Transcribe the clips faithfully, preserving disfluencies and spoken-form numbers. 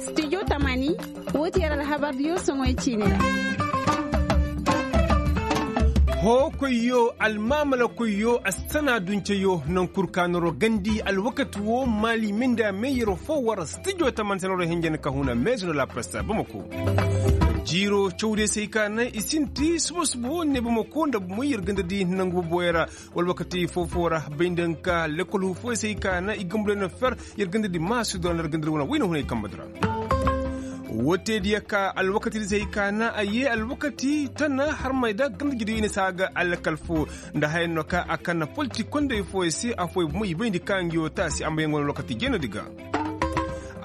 Studio tamani, woo ti yer alhabardiyo soŋoy ciini ra. Hookoyyo, almaamalakoyyo, assana dunceyo, naŋ kul ka noroo gandi alwakati woo maali minda meeyaroo foo war studio tamani se noroo hinjan ka huna meezo nda la presse bamako. Jiiroo cawdiyo se hay ka naŋ i sinti suba suba woo ne bamako nda moy yer ganda di nangu boboyo ra. Wala wakati foo foo ra bay nda nga ka lekkol huu fooyey se hay ka naŋ i gamburay na fer yer ganda di maasu dora nda yer ganda di wane wayna hunay kamba dora. Woo te diya ka alwakati di se hay ka naŋ a yee alwakati tana harmay da ganda jidiyo i na saa ga alkal foo nda haya no ka a kan na politik kondey fooyey se affooyey bomo i bayndi ka ngi woo taasi a ma yee nga wane alwakati jeena di ga.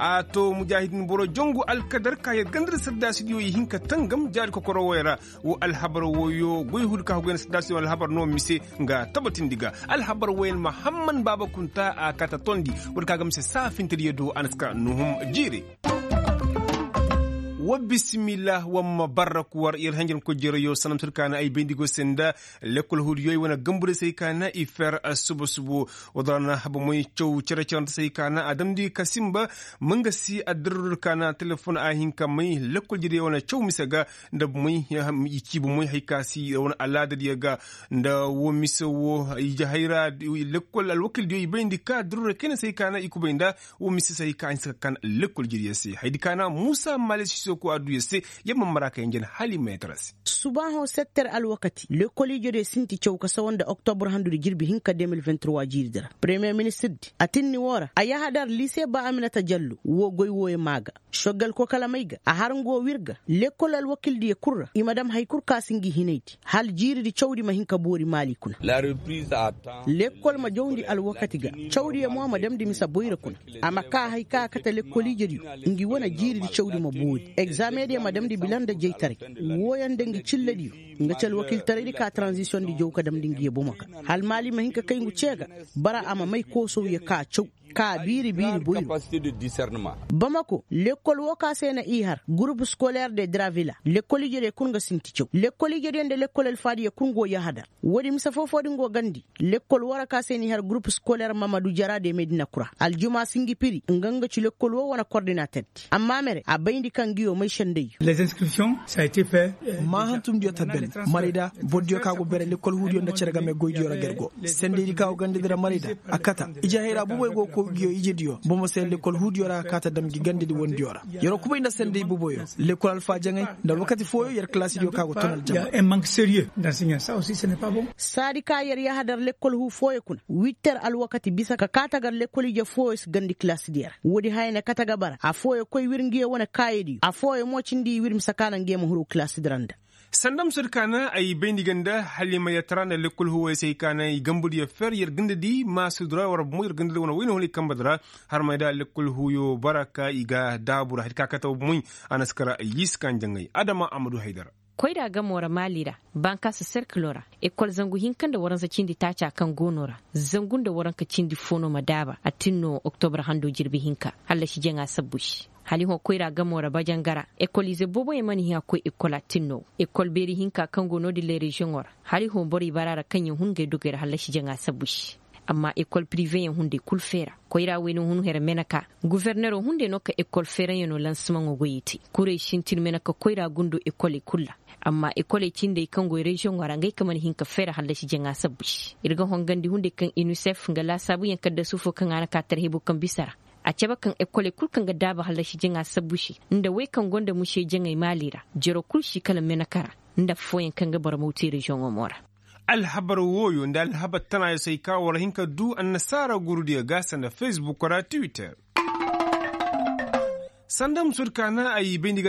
A to mujaahidin boro jongu alkadar ka yer ganda di sardaasidiyo i hin ka tangam jaari kokoro wooyey ra. Woo alhabar wooyo goy hudi ka goy na saddaasidiyo alhabar no mise nga tabatindi ga. Alhabar wooyo mahamman baaba kunta a kaata tondi. Woodi ka ga mise saafintediyo do a na si ka nuhum jiiri. Wa bisimillah wa ma barrak war yer hanjankoy jereyo sanam sir ka na ay bayndi go se nda lekkol huudiyo i wane gamburay se ay ka na i fer suba subo. Woo dora na bomoy caw cere cerante se ay ka na a damndi ka simba. Ma nga si addirrur ka na telefon a hin ka may lekkol jereyo wane caw mise ga. Nda bomoy i ci bomoy hay ka si wane alaadadiyo ga. Nda woo mise woo ije hayra lekkol alwakildiyo i bayndi ka addirrur kayna se ay ka na i kubay nda. Woo mise se hay ka a hinsa ka kan lekkol jereyo se haydi ka na muusa maale sisoko adduyo se. Yamma mara ka yanjan hali meetara se. Subaaho setter alwakati lekkol ijediyo sinti caw ka sawa nda oktobr handudi jirbi hinka deux mille vingt trois jiiridi ra premiyer ministirdi a tinni woo ra a yahadar lise ba aminata jallo woo goy wooyo maa ga. Soggal kokalamey ga a har nga woo wir ga lekkol alwakildiyo kul ra i ma dam hay kul ka si ngi hinaydi hala jiiridi cawdi ma hin ka boori maali kuna. Lekkol ma jawndi alwakati ga cawdiyo mo ma damndi mise boyra kuna. A ma kaa hay ka a kate lekkol ijediyo ngi wane jiiridi cawdi ma boori egzameŋdiyo ma damndi bila nda jaytaray. Wooyaŋ nda ngi cillediyo nga ci alwakiltaraydi ka taranzisiyoŋdi jaw ka damndi ngi ye bomo ga hala maali ma hin ka kay ngu cee ga. Bara a ma may koosawyo ka caw ka biiri biiri boyro. Bamako lekkol woo ka se na i har gurup skoleer de dravila lekkol ijediyo kul nga sinti caw lekkol ijediyo nda lekkol alfaadiyo kul nga woo yahadar. Woodi mise foo-foo di nga woo gandi lekkol woo ra ka se n'i har gurup skoleer mamadu jara de medina kura aljuma si ngi piri nga nga ci lekkol woo wane kordinaterdi amma mere a bayndi ka ngi yoo may sendayyo. Maa hantumdiyo ta ben marayda bordiyo ka go bere lekkol huudiyo nda cere game goydiyo ra ga ir go sendaydi ka go gandadi ra marayda. A kata ije hayra boboy go kow ngi yoo ijediyo bomo se lekkol huudiyo ra a kaata dam ngi gandadi wondiyo ra. Yer wo kubay nda senday boboyo lekkol alfaajaŋey nda alwakati fooyo yer kalaasidiyo ka go ton aljama. Saadi ka yer yahadar lekkol huu fooyo kuna witter alwakati bisa ka kaa tagar lekkol ije fooyo si gandi kalaasidiyo ra woodi haya na kate ga bara affooyo koy wir ngi ye wane kaayadiyo affooyo mo cindi i wir mise ka na ngi ye ma huru kalaasidi ra nda. Sanda musodi ka na ay bayndi ga nda hala i ma yer tara nda lekkol huuyo se hay ka na i gambudiyo fer yer ganda di maasudi ra war bomo yer ganda di wane wayna hunay kambadi ra. Harmay da lekkol huuyo bara ka i ga daabu ra hay ka kate bomoy. A na si kara yiisi ka njaŋay adama a ma du haydara. Koyra gamo ra maali ra bankaasa serkilo ra ekol zangu hinka nda waransa cindi taaca kaŋ go no ra zangu nda waranka cindi fo no ma daaba a tin no oktobar hando jirbi hinka hallasi jaŋa sabbu se. Hali hõ koyra gamo ra bajanga ra ekolize booboyaŋ mana hin a koy ekol a tin no ekol beeri hinka kaŋ go no-din ley reziyoŋo ra hali hõ borey bara ra kaŋ yaŋ hun ngey dogey ra hallasi jaŋa sabbu se. Amma ekol piriveyaŋ hunday kul feera koyra wayna hun here meneka guforneroo hunday no ka ekol feeraŋyaŋo lansimaŋo goyey te kurey sintin meneka koyra gundo ekoley kul ra. Amma ekoley cindey kaŋ goy reziyoŋo ra ngey ka mana hin ka feera hallasi jaŋa sabbu se ir ga hongandi hunday kaŋ inisef nga laasaabuyaŋ kaddasu fo kaŋ a na ka tarhebu kaŋ bisa ra. A cabe kaŋ ekoley kul kaŋ ga daaba hallasi jaŋa sabbu se nda wey kaŋ gonda musey jaŋey maali ra jero kul si kala meneka ra nda affooyaŋ kaŋ ga boro mawti reziyoŋo mo ra. Alhabar wooyo nda alhabar tanaayo se ay ka war hin ka du annasaara gurudiyo ga sanda fesbuk ra twitter. Sanda musudi ka na ay bayndi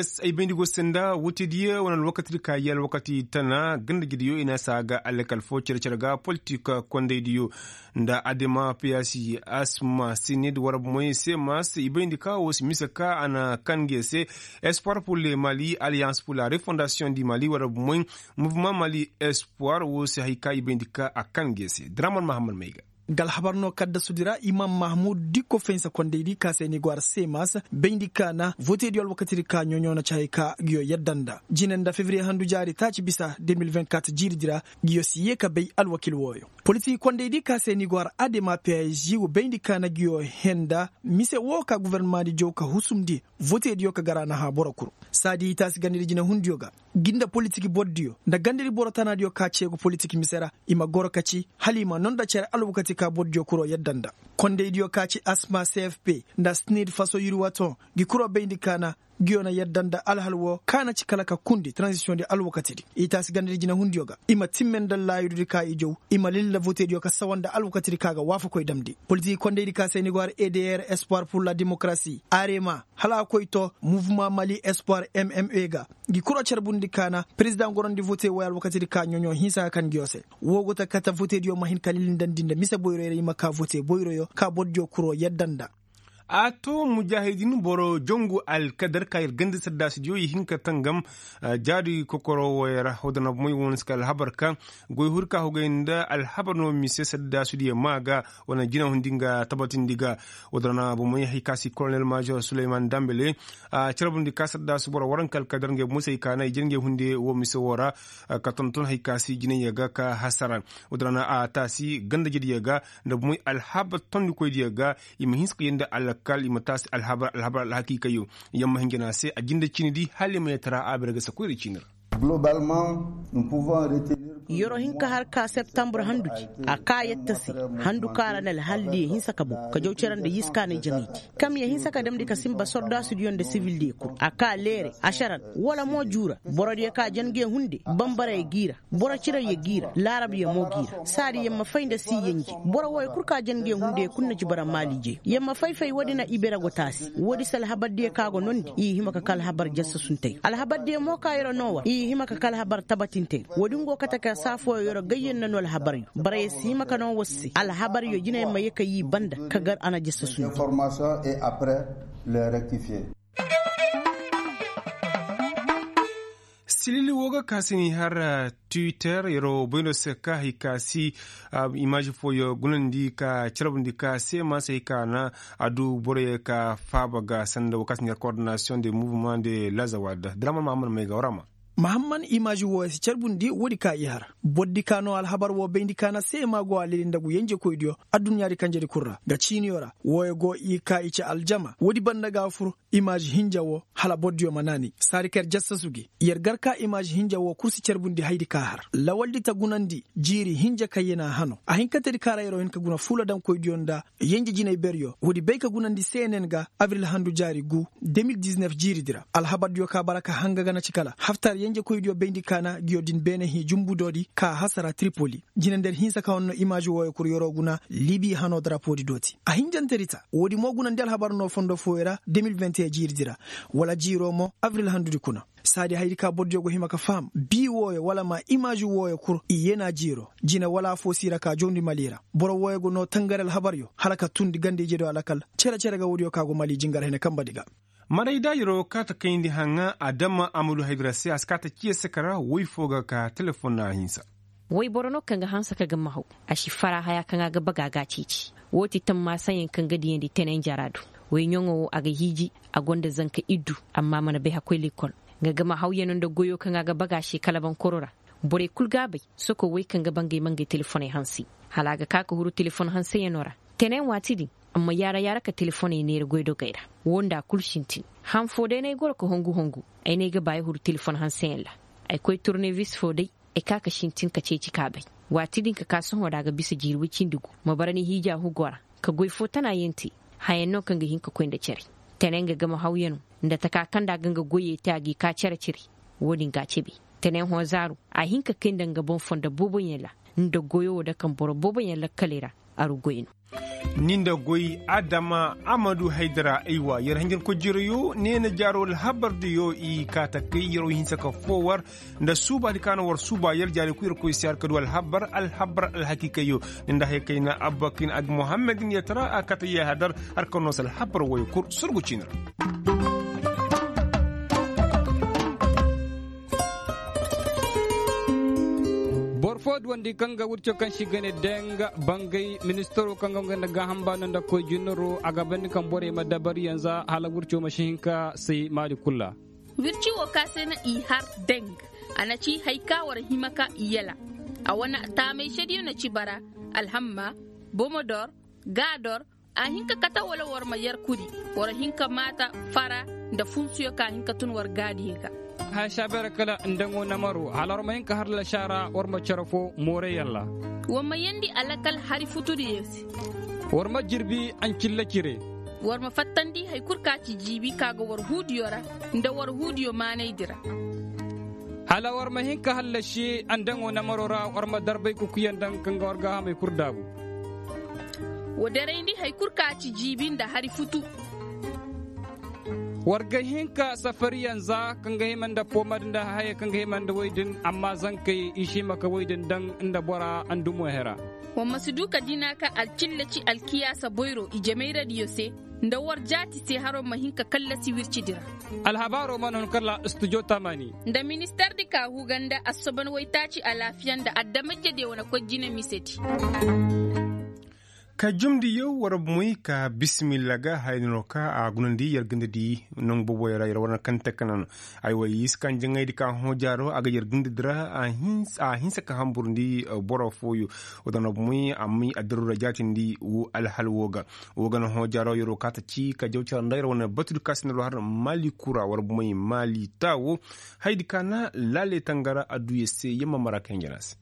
go sanda wutediyo wane alwakatidi ka ye alwakati tana gandajediyo i na saa ga alkal fo cere-cere ga politik kondaydiyo nda adema piyasi asma sinid war bomoy semas i bayndi ka wo si mise ka a na kan nge se espoir pur le mali alliance pur la refondasiyoŋ di mali war bomoy muvuma mali espoir wo si hay ka i bayndi ka a kan nge se draman mahamad may ga. Nga alhabar no kaddasudi ra imam mahmud dikko fahinsa kondaydi ka se ni go ara semas bayndi ka na vote diyo alwakatidi ka ɲoɲo na ci hay ka ngiyo yadda nda jine nda febriye handu jaari taaci bisa de mil vingt-quatre jiiridi ra. Ngiyo si yee ka bay alwakil wooyo politik kondaydi ka se ni go ara adema pig wo bayndi ka na ngiyo henda mise woo ka gofornamadi jaw ka husumndi vote diyo ka gar a na hã boro kul. Saadi i taasi gandadi jinehundiyo ga ngi nda politik bordiyo nda gandadi boro tanaadiyo ka ceegu politik mise ra i ma goro ka ci hala i ma noo nda cere alwakati ka bordiyo kuroo yadda nda kondaydiyo ka ci asma cfp nda snid faso yurwaton ngi kuroo bayndi ka na ngiyo na yadda nda alhal woo ka na ci kala ka kundi taranzisiyondi alwakatidi i taasi gandadi jinehundiyo ga i ma timme nda laayududi ka i jaw i ma lilla votediyo ka sawa nda alwakatidi ka ga waafakoy damndi politik kondaydi ka se ni go har edr espoir pur la demokarasi arema hala a koy to muvuma mali espoir mma ga ngi kuro carbundi ka na perezidaŋ gorandi vote wooyo alwakatidi ka ɲoɲo hinsa ka kan ngiyo se. Woo go ta kate votediyo ma hin ka lilindandi nda mise boyroyo ra i ma ka vote boyroyo ka bordiyo kuro yadda nda. A to mujaahidin boro jongu alkadar ka yer ganda saddaasidiyo i hin ka tangam jaadi kokoro wooyo ra woo da na bomey woo na si ka alhabar ka goy huri ka hogay nda alhabar no mise saddaasidiyo ma ga woo na jinahundi nga tabatindi ga. Woo da na bomey hay ka si kolonel major suleyman dambele a carbundi ka saddaasi boro waranka alkadar ngey bomey se hay ka na i jere ngey hunde woo mise woo ra ka tonton hay ka si jinayyo ga ka hasara. Woo da na a taasi ganda jediyo ga nda bomey alhabar tondikoydiyo ga i ma hinse ka yee nda alkal i ma taasi alhabar alhabar alhakiikayyo. Yamma hinja no a se a jinde ciini di hala i ma yee tara a bere ga sakoyra ciini ra. Yeroo hin ka har ka septambur handu ci a ka yette se handu ka ra na alhaldiyo hinse ka bow ka jaw cere nda yiskaanay jaŋaydi. Kam ya hinse ka damndi ka sinba sordaasudiyo nda sibildiyo kul a ka leere ašaran wala mo juura borodiyo ka jange hunde bambarayyo g'i ra boro cirayyo g'i ra laarabyo mo g'i ra saadi yer ma fay nda si yenje boro wooyo kul ka jange hunde kul na ci bara maaliijey yer ma fay-fay woodi na ibere go taasi woodi se alhabardiyo ka go noondi i hima ka ka alhabar jassasuntey alhabardiyo mo ka yer noo war i hima ka ka alhabar tabatintey woodi ngo kate ka saa fooyo yer gayyaŋ na noo alhabaryo bara yer si hima ka noo war se alhabaryo jinay ma ye ka yii banda ka gar a na jassasundi. Silili woo ga ka si ni har twitter yeroo bayno se ka hay ka si imaazi fooyo gunandi ka carbundi ka seema se hay ka na a du boroyo ka faaba ga sanda woo ka si ni har kordinasiyoŋ de muvuma de lazawad draman mahamman may ga warama. Mahamman imaazi wooyo si carbundi woodi ka i har bordi ka no alhabar woo bayndi ka na seema go a leli nda ngu yenjekoydiyo adduɲɲaadi kanjedi kul ra nga ciiniyo ra wooyo go i ka i ci aljama woodi banda ga fur. Imaazi hinja woo hala bordiyo ma naani saadi ka yer jassasu gi yer gar ka imaazi hinja woo kul si carbundi haydi ka har lawaldi ta gunandi jiiri hinja kayyena hano a hinkantedi ka ra yeroo hin ka guna fuuladaŋkoydiyo nda yenje jinay beryo woodi bay ka gunandi cnn ga abril handu jaari gu de mil diznef jiiridi ra alhabardiyo ka bara ka hanga ga na ci kala haftar yenjekoydiyo bayndi ka na ngiyo din beene hii jumbudoodi ka hasara tripoli jine nda yer hinsa ka honno imaazi wooyo kul yeroo guna libi hano darapoodi dooti a hinjantedi ta woodi mo gunandi alhabar no fondo fooyo ra de mil vingt et un jiiridi ra wala jiiroo mo abril handudi kuna saadi hayadi ka bordiyo go hima ka faham bii wooyo wala ma imaazi wooyo kul i yeenaa jiiroo jine wala afoo si ra ka jawndi mali ra boro wooyo go noo tangari alhabaryo hala ka tundi ganda-ijediyo alakal cere-cere ga woodiyo ka go mali jingar hene kambadi ga. Marayda yeroo kaata kayndi haŋa adama amadu haydara se a si kaata ciya saka ra woy foo ga ka telefon na a hinsa. Woy boro no kaŋ ga hanse ka ga ma haw a si fara haya kaŋ a ga baga ga a ceeci. Woo ti tammaasa yaŋ kaŋ ga diyandi tenay njara do. Woy ɲaŋo wo a ga hiiji a gonda zanka iddu. Amma a mana bay hakkoy lekkol. Nga ga ma haw yaŋ no nda goyo kaŋ a ga baga a se kala bankoro ra. Borey kul ga a bay. Soko woy kaŋ ga ba ngey ma ngey telefoney hanse. Hala a ga ka ka huru telefon hanse yaŋo ra. Tenay waati din. Amma yaara yaara ka telefoney neera goydogey ra. Woo nda a kul sintin. Han foo day no ay goro ka hongu hongu. Ay ne ay ga ba ay huru telefon hanse yaŋ ra. Ay koy turnevis foo day. Ay ka ka sintin ka ceeci ka bay. Waati din ka ka sohõ ra a ga bisa jiiri woy cindi gu. Ma bara ni hiija hugo ra. Ka goy foo tana yaŋ te. Hayaŋ no kaŋ ga hin ka koy nda care. Tene nga game hawyaŋo nda taka kaŋ nda a ga nga goyey te a g'i ka care cire. Woo din ga a cebe. Tene hõ zaaru a hin ka kay nda nga boŋ fondo boobo yaŋ ra. Nda goyo wo dake boro boobo yaŋ lakkaley ra. Aru goy no. Ni nda goy adama amadu haydara aywa yer hanjankoy jereyo neena jaaro alhabar diyo i kaata kay yeroo hinsa ka foo war. Nda suubaadi ka na war suuba yer jaari ku yer koy si har ka du alhabar alhabar alhakiikayyo. Ni nda haya kayna abba kayna ag muhammed ni yer tara a kaata yahadar har ka noose alhabar woyo kul sorgu ciini ra. Boro fo. Wo- duwandi kaŋ ga wirco kaŋ se i ga ne deng bangay ministaro kaŋ ga nga nda gaaham baano nda koy jinaro a ga bandi kaŋ borey ma dabari yanza hala wirco ma si hin ka say maali kul ra. Wirci wo ka se na i har deng, a na ci hari ka war hima ka i yala. A wane taamay sediyo na ci bara, alhamma, bomodor, gaador. A hin ka kate wala war ma yer kuri, war hin ka maata fara nda funsuyo ka hin ka tun war gaadiyo ga. Haya saabeera kala ndaŋo namaro hala war ma hin ka har lasaara war ma cere fo mooreyaŋ ra. War ma yeendi alakal hari futudiyo se. War ma jirbi ancilla cire. War ma fattandi hari kul ka ci jiibi ka ga war huudiyo ra nda war huudiyo maanaydi ra. Hala war ma hin ka hallasi andaŋo namaro ra war ma darbay kukuyaŋ daŋ kaŋ ga war gaahamey kul daabu. Wa darayndi hari kul ka ci jiibi nda hari futu. War ga hin ka safariyaŋ za kaŋ ga hima nda poomadi nda hayey kaŋ ga hima nda woy din amma zankey i si hima ka woy din daŋ nda bora andumo hera. War ma si du ka dina ka alcilla ci alkiyaasa boyro i jamayradiyo se nda war jaati se haro ma hin ka kallasi wircidi ra. Alhabaaro mana hun kala studio tamani. Nda ministardi ka huga nda assoban waytaaci alaafiya nda adama-ijediyo wane koy jine misedi. Ka jumndi yaw war moy ka bisimilla ga haya no ka a gunandi yer gandadi. Nangu boboyo ra yer wane kaŋ te ka nan aywa yer iska njaŋaydi ka hõ jaaro a ga yer gandadi ra. A hinsa ka hamburndi boro fooyo. Wo da no bomoy a may addaru ra jaatindi wo alhal wo ga. Wo ga na hõ jaaro yero ka ta ci ka jaw cara nda yer wane batudi ka si na lo har maali kura war bomoy maali taawo. Haydi ka na laale tangara adduya se yamma mara kaŋ jana se.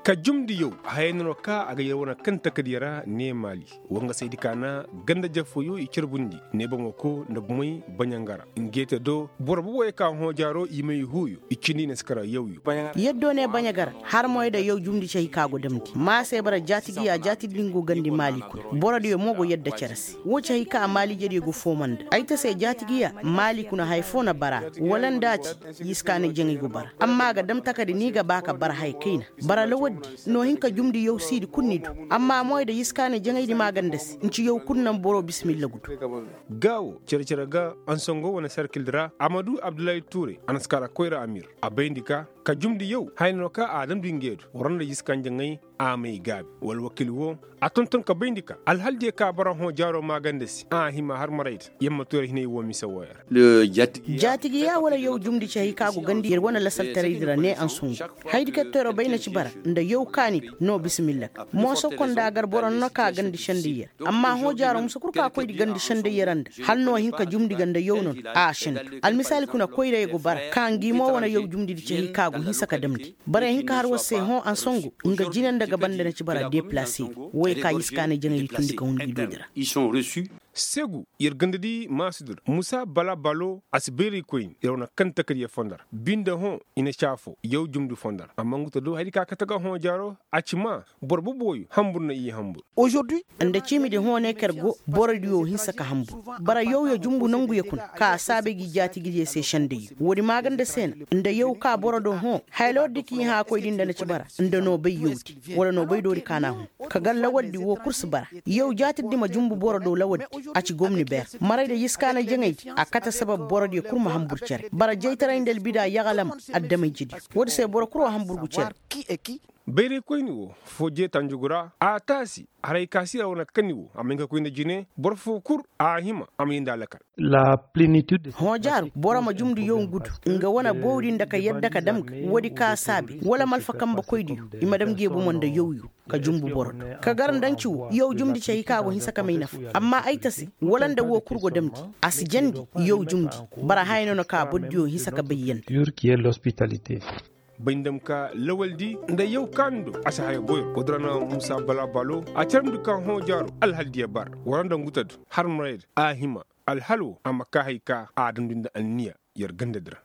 Ka jumndi yaw haya no ka a ga yer wane kaŋ takadiya ra ne maali. Wangasaydi ka na ganda jafooyo i carbundi ne bomo ko nda bomey baɲangara. Ngeete do boro boboyo ka hõ jaaro i may huuyo i cindi i na si kara yawyo. Yaddo ne baɲagara har moy da yaw jumndi cahi ka go damndi ma se bara jaatigiya jaatidi din go gandi maali kuna borodiyo mo go yadda cere se. Wo ci hay ka maaliijediyo ga fooma nda ay ta se jaatigiya maali kuna haya foo na bara a wala nda a ci. Yiskaanay jaŋay go bara amma a ga dam takadi ni ga ba ka bara haya kayna. Bara lawaddi no hin ka jumndi yaw siidi kul ni du. Amma moy da yiskaanay jaŋaydi maaganda se nci yaw kul naŋ boro bisimilla ga du. Gaawo cere-cere ga ansongo wane sarkildi ra a ma du abdullahi tuure a na si kara koyra amir. A bayndi ka ka jumndi yaw haya no ka a damndi ngey du war nda yiskaanay jaŋay. A may gaabi wala wakiil wo a tonton ka bayndi ka alhaldiyo ka bara hõ jaaro maaganda se a hima har marayda. Yamma turay hinay wo mise wooyo ra. Jaatigi ya wala yaw jumndi cahi ka go gandi yer wane lasaltaraydi ra ne ansungu. Haydi kaŋ teero bay na ci bara nda yaw kaani du no bisimilla ga mooso konda gar boro no ka gandi sendayya ra. Amma hõ jaaro musa kul ka koydi gandi sendayya ra nda hala no hin ka jumndi ga nda yaw no no a sendi. Almisaali kuna koyra ya go bara ka ngi mo wane yaw jumndi di cahi ka go hinsa ka damndi. Bara ya hin ka har war se hõ ansangu nga jine nda ga banda na ci bara deplase. Woy ka i si kaanay jaŋay di tundi ka hun ngi doodi ra. Segu yer ganda di maasudul musa bala balo a si bayraykoyni yer wane kaŋ takadiya fondo ra binde hõ i na caafo yaw jumndi fondo ra amma ngu ta do hari ka kate ga hõ jaaro. A ci maa boro boboyo hambur na i hambur. Nda ciimidi hõ ne ka yer go borodiyo hinsa ka hambur. Bara yawyo jumbu nanguyo kuna ka a saabay gi jaatigidiyo se sendayyo woodi maaganda se na nda yaw ka boro do hõ. Haya lawardi ka i hã koydi nda na ci bara nda noobay yawdi wala noobay doori ka n'a hõ. Ka gar lawardi woo kul si bara. Yaw jaatirdi ma jumbu boro do lawardi. A ci gomni beer maray nda yiskaanay jaŋaydi a kate sabab borodiyo kul ma hambur cere bara jaytaray nda albida yaxalama. Adama-ijediyo woodi se boro kul wa hambur gu cere. Bayraykoyni woo foo jeeta njugu ra a taasi. Haray ka si ra wane kanni woo a ma hin ka koy nda jine boro foo kul a hima a ma yee nda alakal. Hõ jaaru boro ma jumndi yaw ngu du nga wane bawdi nda ka yadda ka dam ga woodi ka saabi wala ma alfa kambekoydiyo i ma dam nge bomo nda yawyo. Ka jumbu boro do ka gar nda nci woo yaw jumndi cay ka go hinsa ka may nafa. Amma ay ta se wala nda woo kul go damndi a si jandi. Yaw jumndi bara haya no na ka bordiyo hinsa ka bay yanda. Bay nda ma ka lawaldi nda yaw kaani do a si haya boyro woodi ra na muusa bala balo a carandi ka hõ jaaro alhaldiyo bara war nda ngu ta du har marayda a hima. Alhal woo a ma ka hay ka a damndi nda anniya yer gandadi ra.